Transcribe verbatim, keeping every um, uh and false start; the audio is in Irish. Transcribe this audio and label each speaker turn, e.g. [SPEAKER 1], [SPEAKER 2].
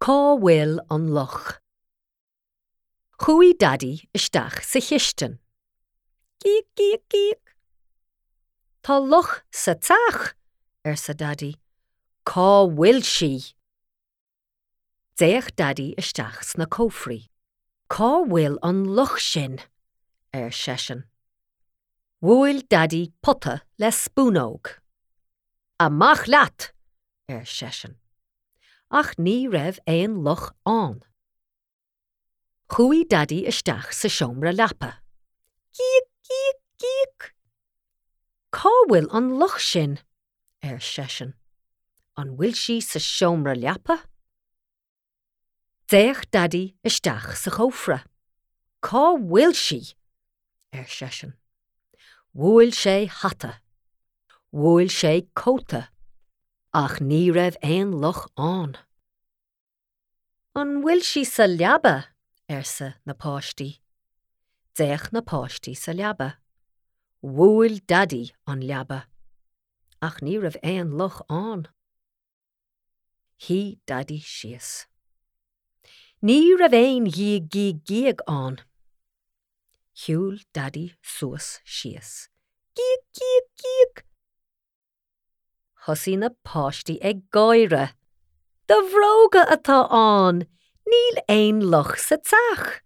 [SPEAKER 1] Cá bhfuil an luch? Chuaigh Daidí isteach sa chistin. Gíog gíog gíog. Tá luch sa teach, arsa Daidí. Cá bhfuil sí? D'fhéach Daidí isteach sna cófraí. Cá bhfuil an luch sin? ar seisean. Bhuail Daidí pota le spúnóg. Amach leat, ar seisean. Ach ní raibh aon luch ann. Chuaigh Daidí isteach sa seomra leapa. Gíog gíog gíog. Cá bhfuil an luch sin? ar seisean. An bhfuil sí sa seomra leapa? D'fhéach Daidí isteach sa chófra. Cá bhfuil sí? ar seisean. Bhuail sé hata. Bhuail sé cóta. Ach ní raibh aon luch ann. An bhfuil sí sa leaba? arsa na páistí. D'fhéach na páistí sa leaba. Bhuail Daidí an leaba. Ach ní raibh aon luch ann. Shuigh Daidí síos. Ní raibh aon ghíog gíog gíog ann. Shiúil Daidí suas síos. Gíog gíog gíog! Thosaigh na páistí ag gáire. Do bhróga atá ann, níl aon luch sa teach.